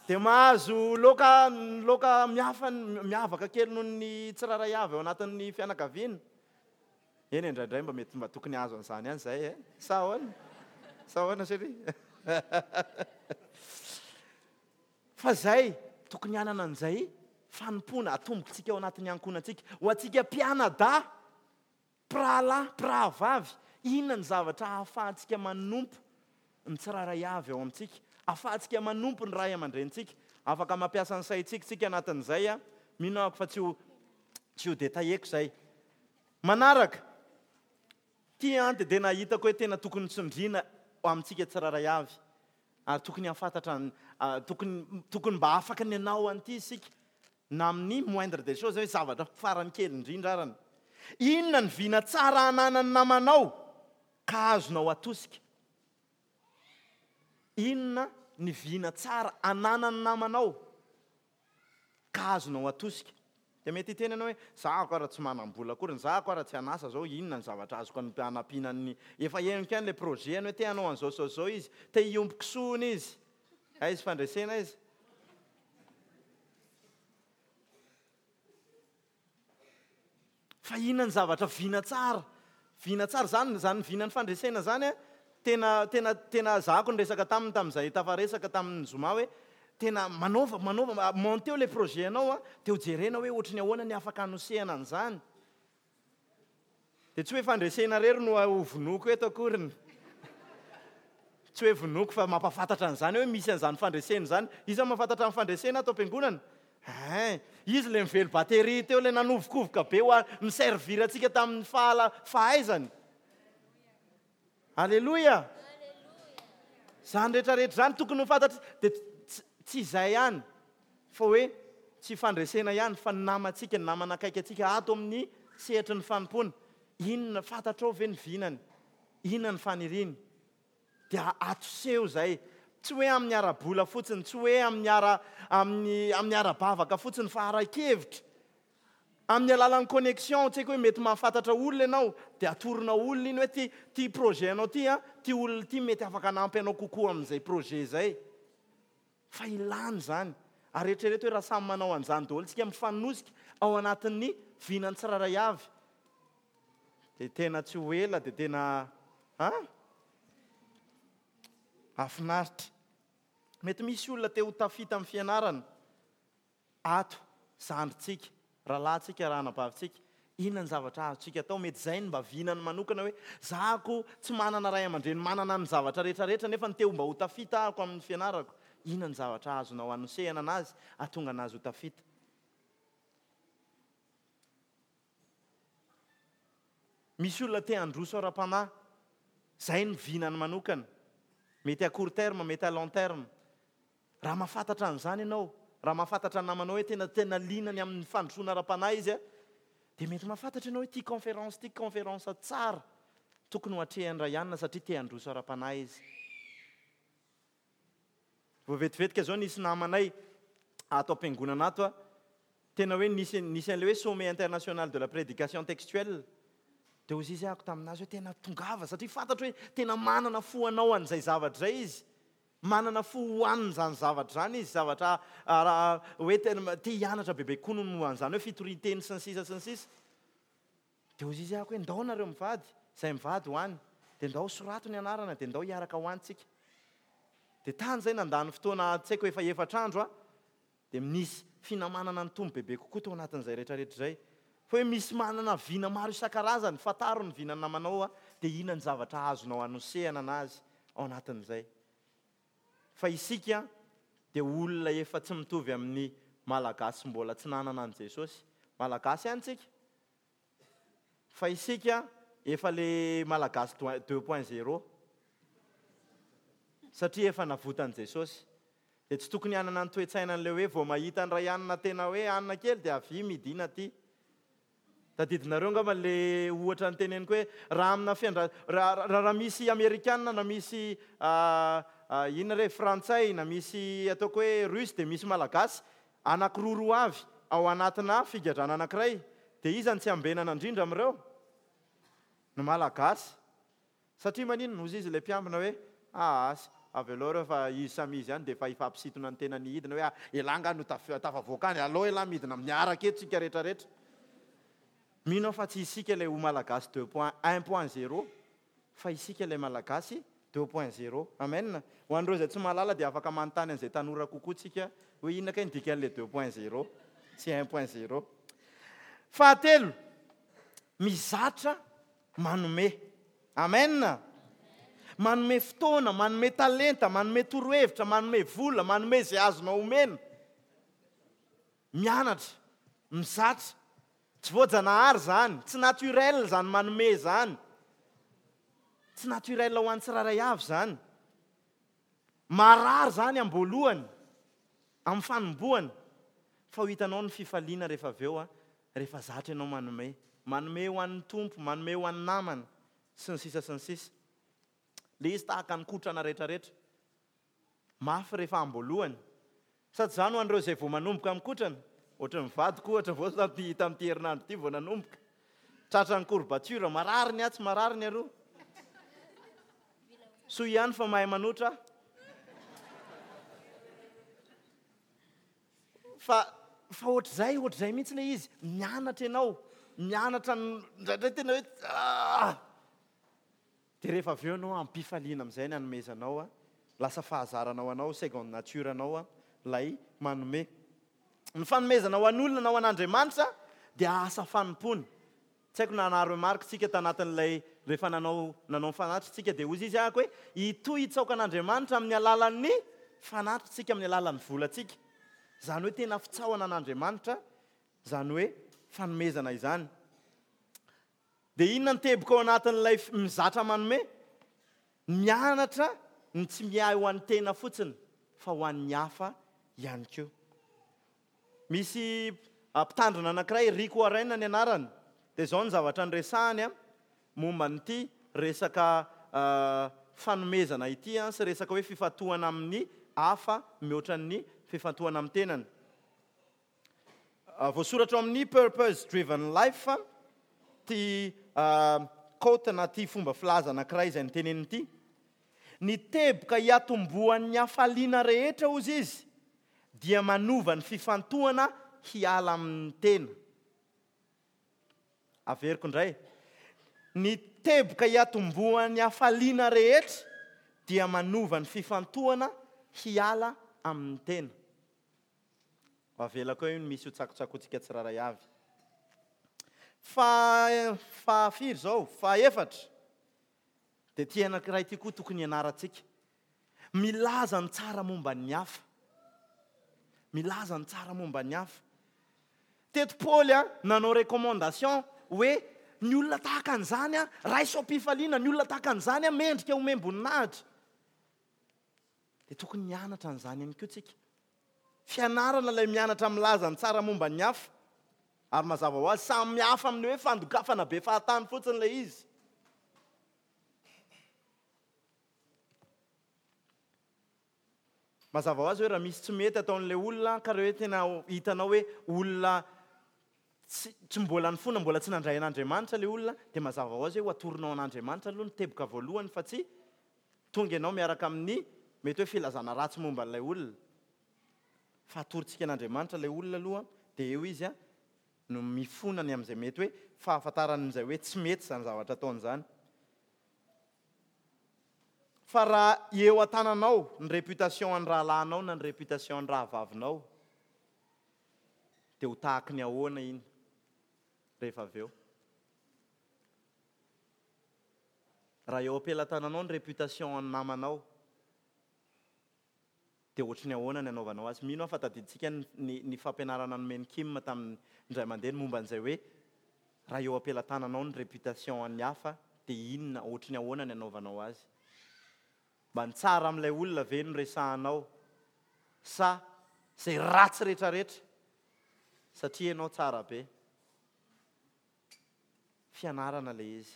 Dia mahazo loka loka mihafa miavaka kely noho ny tsirairay avy ao anatin'ny fianakaviana. Eny indraindray mba mety mba tokony hahazo an'izany ihany izay e! Sa ahoana? Sa ahoana chérie? Fa izay, tokony hanana an'izay fanompoana atombokintsika ao anatin'ny ankohonantsika. Ho antsika mpianadahy, mpirahalahy, mpirahavavy, inona ny zavatra ahafahantsika manompo ny tsirairay avy ao amintsika? Ahafahantsika manompo ny ray aman-drenintsika? Afaka mampiasa ny saintsika isika anatin'izay an! Mino aho fa tsy ho tsy ho détailleko izay. Manaraka, ity an dia tena hitako hoe tena tokony tsindriana amintsika tsirairay avy. Ary tokony hahafantatra ny, tokony, tokony mba afaka ny hanao an'ity isika, na amin'ny moindre des choses, hoe zavatra farany kely indrindra arany. Inona ny vina tsara ananan'ny namanao ka azonao atosika? Inona ny vina tsara ananan'ny namanao? ka azonao atosika. Dia mety hiteny ianao hoe, za ako ara tsy manam-bola akory, za ako ara tsy an'asa zao, inona ny zavatra azoko hanampiana ny, efa henoko ihany ilay projet-ny hoe te hanao an'izao sy izao izy, te hiompy kisoa hono izy, aiza fandresena aiza? Fa inona ny zavatra vina tsara? Vina tsara, zany, zany vinan'ny fandresena zany an, tena, tena, tena zahako niresaka taminy tamin'izay tafaresaka tamin'ny zoma hoe, tena manaova, manaova, monteo ilay projet anao an, dia ho jerena hoe ohatry ny ahoana ny afaka hanosehana an'izany. Dia tsy hoe fandresena irery no ho vonoiko eto akoriny. Tsy hoe vonoiko fa mampahafantatra an'izany hoe misy an'izany fandresena izany. Iza mahafantatra ny fandresena ato am-piangonana? Hein! Izy ilay nively batterie teo, ilay nanovokovoka be ho a, ni-servir antsika tamin'ny fahala, fahaizany. Aleloia! Izany rehetra rehetra izany tokony ho fantatry, dia tsy, tsy izay ihany, fa hoe tsy fandresena ihany, fa ny namantsika, ny namana akaiky antsika ato amin'ny sehatry ny fanompoana. Inona, fantatrao ve ny vinany? Inona ny faniriany? Dia atoseho izay. Tsy hoe amin'ny ara-bola fotsiny, tsy hoe amin'ny ara, amin'ny, amin'ny ara-bavaka fotsiny, fa ara-kevitra. Amin'ny alalan'ny connexion, tsy haiko hoe mety mahafantatra olona ianao, dia atoronao olona iny hoe ty, ty projet anao ty an, ty olona ity mety afaka hanampy anao kokoa amin'izay projet izay. Fa ilana izany. Ary eritrereto hoe raha samy manao an'izany daholo isika, mifanosika ao anatin'ny vinan'ny tsirairay avy, dia tena tsy ho ela dia tena an! Hahafinaritra. Mety misy olona te ho tafita amin'ny fianarana ato, zandrintsika, rahalahintsika, rahanabavintsika. Inona ny zavatra azontsika atao? Mety izay no mba vinany manokana hoe, za ko tsy manana ray aman-dreny manana ny zavatra rehetra rehetra nefa ny te ho mba ho tafita ahako amin'ny fianarako. Inona ny zavatra azonao anosehana anazy hahatonga anazy ho tafita? Misy olona te handroso ara-panahy, izay no vinany manokana. Mety à court terme, mety à long terme. Raha mahafantatra an'izany ianao, raha mahafantatra ny namanao hoe tena tena liana ny amin'ny fandrosoana ara-panahy izy, dia mety mahafantatra ianao hoe ity conférence ity conférence tsara tokony ho atrehan'i Ryan satria te handroso ara-panahy izy. Vao vetivetika izao nisy namanay. Ato am-piangonana ato a, tena hoe nisy nisy an'ilay hoe sommet international de la prédication textuelle. Dia hoy izy ahako tamin'azy hoe tena tongava satria fantatro hoe tena manana fo hanao an'izay zavatra izay izy. Manana fo ho an'izany zavatra izany izy, zavatra hoe tena te hianatra bebe kokoa noho ny momba an'izany hoe fitorian-teny sy ny sisa sy ny sisa. Dia hoy izy ahako hoe ndao nareo mivady, izay mivady ho any. Dia ndao sorato ny anarana dia ndao hiaraka ho any tsika. Dia tany izay nandany fotoana tsy haiko efa efatr'andro aho, dia nisy finamanana nitombo bebe kokoa tao anatin'izay rehetrarehetra izay. Fa hoe misy manana vina maro isan-karazany, fantaro ny vinan'ny namanao dia inona ny zavatra azonao anosehana anazy ao anatin'izay. Fa isika dia olona efa tsy mitovy amin'ny Malagasy mbola tsy nanana an'i Jesosy. Malagasy ihany tsika. Fa isika efa le Malagasy deux point zéro. Satria efa navotan'i Jesosy. Dia tsy tokony hanana ny toe-tsaina an'ilay hoe vao mahita an'i Raianina tena hoe anona kely dia avia midina aty. Tadidinareo angamba le ohatra noteneniko hoe raha amina fiandra raha raha misy amerikana na misy inona re frantsay na misy ataoko hoe russe dia misy malagasy anakiroa roa avy ao anatina figadrana anakiray dia iza no tsy ambenana indrindra amin'ireo? Ny malagasy. Satria maninona? Hozy izy ilay mpiambina hoe, Aas, avelao ireo fa izy samy izy ihany dia efa hifampisintona ny tenany hidina hoe, ah, elah angaha no tafavoaka any, alao elah midina miaraka eto tsika rehetra rehetra. Mino aho fa tsy isika ilay ho Malagasy deux point un point zéro fa isika ilay Malagasy deux point zéro. Amen. Ho an'ireo izay tsy mahalala dia afaka manontany an'izay tanora kokoa tsika hoe inona kay ny dikan'ilay deux point zéro sy un point zéro. Fahatelo, mizatra Manome. Amen! Manome fotoana, manome talenta, manome torohevitra, manome vola, manome izay azonao omena. Mianatra, mizatra. Tsy voajanahary izany, tsy naturel izany manome izany. Tsy naturel ho an'ny tsirairay avy izany. Marary izany am-boalohany, amin'ny fanombohana, fa ho hitanao ny fifaliana rehefa avy eo, rehefa zatra ianao manome. Manome ho an'ny Tompo, manome ho an'ny namana, sy ny sisa sy ny sisa. Ilay izy tahaka ny kotrana rehetrarehetra. Mafy rehefa am-boalohany. Sady izany ho an'ireo izay vao manomboka mikotrana, ohatran'ny vadiko ohatra vao tamin'ity tamin'ity herinandro ity vao nanomboka. Tratran'ny courbature, marary ny atsy, marary ny aroa. Soa ihany fa mahay manotra aho. Fa fa ohatr'izay, ohatr'izay mihitsy ilay izy. Mianatra ianao, mianatra indraindray tena hoe ah! Dia rehefa avy eo ianao am-pifaliana amin'izay ny anomezanao, lasa fahazarana ho anao, seconde nature anao ilay manome. Ny fanomezana ho an'olona na ho an'Andriamanitra dia asa fanompoana. Tsy haiko na naha-remarque tsika tanatin'ilay rehefa nanao nanao ny fanatitra tsika dia hozy izy ahako hoe hitohy hitsaoka an'Andriamanitra amin'ny alalan'ny fanatitra tsika amin'ny alalan'ny volantsika. Izany hoe tena fitsaohana an'Andriamanitra izany hoe fanomezana izany. Dia inona ny teboka ao anatin'ilay mizatra manome? Mianatra ny tsy miahy ho an'ny tena fotsiny fa ho an'ny hafa ihany koa. Misy mpitandrina anankiray, Rick Warren ny anarany, dia izao ny zavatra niresahany momba an'ity resaka fanomezana ity sy resaka hoe fifantohana amin'ny hafa mihoatra ny fifantohana amin'ny tenany. Voasoratra ao amin'ny Purpose Driven Life ity quote na ity fomba filaza anankiray izay noteneniny ity. Ny teboka hiatombohan'ny hafaliana rehetra, hozy izy, dia manova ny fifantohana hiala amin'ny tena. Averiko indray. Ny teboka hiatombohan'ny hafaliana rehetra dia manova ny fifantohana hiala amin'ny tena. Avelako eo iny misy ho tsakotsakotsika tsirairay avy. Fa faha firy izao? Faha efatra. Dia ity anankiray ity koa tokony hianarantsika. Milaza ny tsara momba ny hafa. Milaza ny tsara momba ny hafa. Teto Paoly a, nanao recommandation hoe ny olona tahaka an'izany a, raiso am-pifaliana, ny olona tahaka an'izany a, mendrika homem-boninahitra. Dia tokony hianatra an'izany ihany koa tsika. Fianarana ilay mianatra milaza ny tsara momba ny hafa. Ary mazava ho azy, samy hafa amin'ny hoe fandokafana be fahatany fotsiny ilay izy. Mazava ho azy hoe raha misy tsy mety ataon'ilay olona ka raha hoe tena hitanao hoe olona tsy tsy mbola nifona, mbola tsy nandray an'Andriamanitra ilay olona dia mazava ho azy hoe ho atoronao an'Andriamanitra aloha ny teboka voalohany fa tsy tonga ianao miaraka amin'ny mety hoe filazana ratsy momba an'ilay olona. Fa atorontsika an'Andriamanitra ilay olona aloha dia eo izy no mifona ny amin'izay mety hoe fahafantarany amin'izay hoe tsy mety izany zavatra ataony izany. Fa raha eo an-tananao ny réputation an'ny rahalahinao na ny réputation an'ny rahavavinao dia ho tahaky ny ahoana iny rehefa avy eo? Raha eo am-pelatananao ny réputation an'ny namanao Dia ohatry ny ahoana ny anaovanao azy? Mino aho fa tadidintsika ny ny ny fampianarana nomen'i Kim tamin'ny indray mandeha ny momba an'izay hoe raha eo am-pelatananao ny réputation an'ny hafa dia inona, ohatry ny ahoana ny anaovanao azy? Mba ny tsara amin'ilay olona ve no resahanao sa izay ratsy retraretra satria ianao tsara be? Fianarana ilay izy.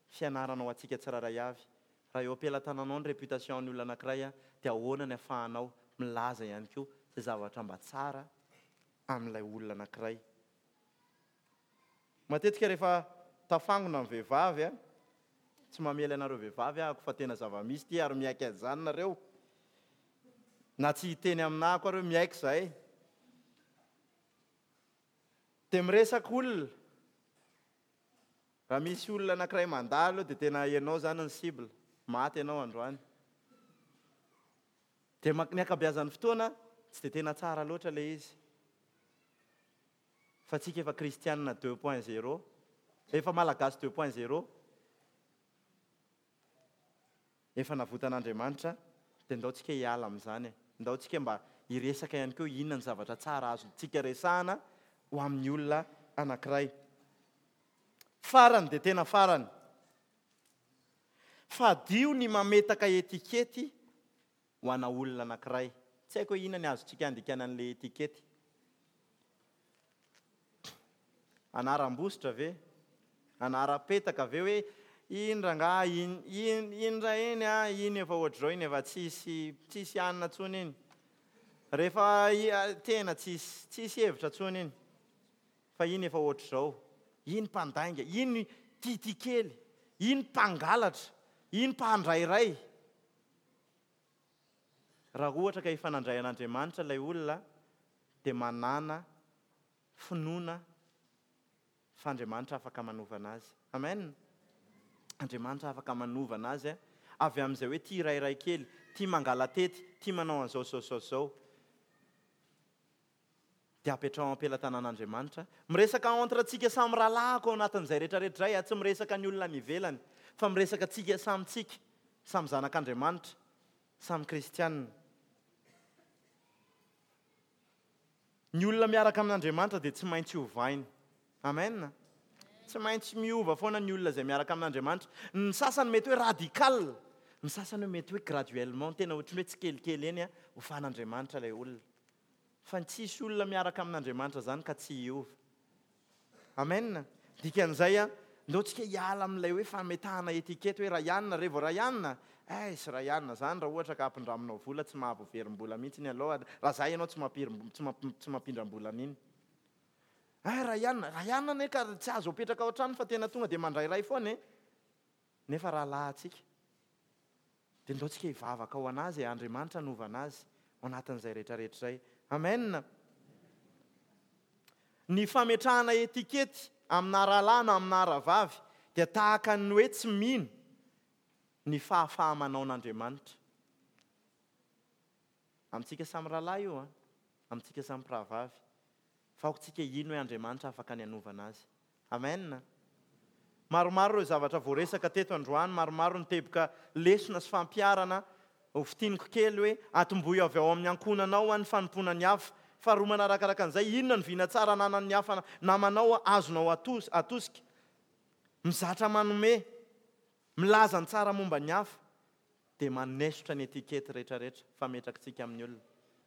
Fianarana ho antsika tsirairay avy. Raha eo am-pelatananao ny réputation-n'ny olona anankiray dia ahoana ny afahanao milaza ihany koa izay zavatra mba tsara amin'ilay olona anankiray. Matetika rehefa tafangona ny vehivavy, tsy mamely anareo vehivavy ahako fa tena zava-misy ity ary miaiky an'izany nareo, na tsy hiteny aminahako ary hoe miaiky izahay, Dia miresaka olona. Raha misy olona anankiray mandalo eo dia tena ianao izany ny cible. Maty ianao androany. Dia ny ankabeazan'ny fotoana tsy dia tena tsara loatra ilay izy. Fa tsika efa kristianina deux point zéro. Efa malagasy deux point zéro. Efa navotan'Andriamanitra dia ndao tsika hiala amin'izany e. Ndao tsika mba hiresaka ihany koa inona ny zavatra tsara azontsika resahana ho amin'ny olona anankiray. Farany dia tena farany. Fadio ny mametaka etikety ho ana olona anankiray. Tsy haiko hoe inona ny azontsika andikana an'ilay etikety. Anaram-bositra ve? Anaram-petaka ve hoe iny rangahy iny, iny, iny raha iny an, iny efa ohatr'izao iny efa tsisy, tsisy hanina intsony iny. Rehefa tena tsisy, tsisy hevitra intsony iny. Fa iny efa ohatr'izao. Iny mpandainga, iny tiatia kely, iny mpangalatra, iny mpandrairay. Raha ohatra ka efa nandray an'Andriamanitra ilay olona dia manàna finoana fa Andriamanitra afaka manova anazy. Amen! Andriamanitra afaka manova anazy avy amin'izay hoe tia rairay kely, tia mangala-tety, tia manao an'izao izao izao izao. Dia apetraho am-pelatanan'Andriamanitra. Miresaka entre tsika samy rahalahiko ao anatin'izay rehetra rehetra izay aho, tsy miresaka ny olona any ivelany, fa miresaka tsika samy tsika, samy zanak'Andriamanitra, samy kristiana. Ny olona miaraka amin'Andriamanitra dia tsy maintsy ovaina. Amen. Tsy maintsy miova foana ny olona izay miaraka amin'Andriamanitra. Ny sasany mety hoe radical, ny sasany hoe mety hoe graduellement, tena ohatran'ny hoe tsikelikely eny ovan'Andriamanitra ilay olona. Fa ny tsisy olona miaraka amin'Andriamanitra izany ka tsy hiova. Amen. Dikan'izay an, ndao tsika hiala amin'ilay hoe fametahana étiquette hoe Ryan, re vao Ryan, eiss Ryan zany raha ohatra ka ampindraminao vola tsy mahavoaverim-bola mihitsy ny aloha, raha za ianao tsy mampirim tsy mampindram-bola an'iny. Hay Ryan, Ryan anie ka tsy azo apetraka ao an-trano fa tena tonga dia mandrairay foana e. Nefa rahalahintsika. Dia ndao tsika hivavaka ho an'azy e, Andriamanitra hanova an'azy ao anatin'izay rehetra rehetra izay. Amen. Ny fametrahana etikety amina rahalahy na amina rahavavy dia tahaka ny hoe tsy mino ny fahafaha-manaon'Andriamanitra. Amintsika samy rahalahy io an, amintsika samy mpirahavavy. Fa aoka tsika hino hoe Andriamanitra afaka ny hanovana azy. Amen! Maromaro ireo zavatra voaresaka teto androany, maromaro ny teboka lesona sy fampiharana. Ho fintiniko kely hoe, atombohy avy ao amin'ny ankohonanao ny fanompoana ny hafa. Faharoa manarakaraka an'izay, inona ny vina tsara ananan'ny hafa namanao azonao atosika? Mizatra manome, milaza ny tsara momba ny hafa, dia manesotra ny etikety rehetrarehetra fametrakitsika amin'ny olona.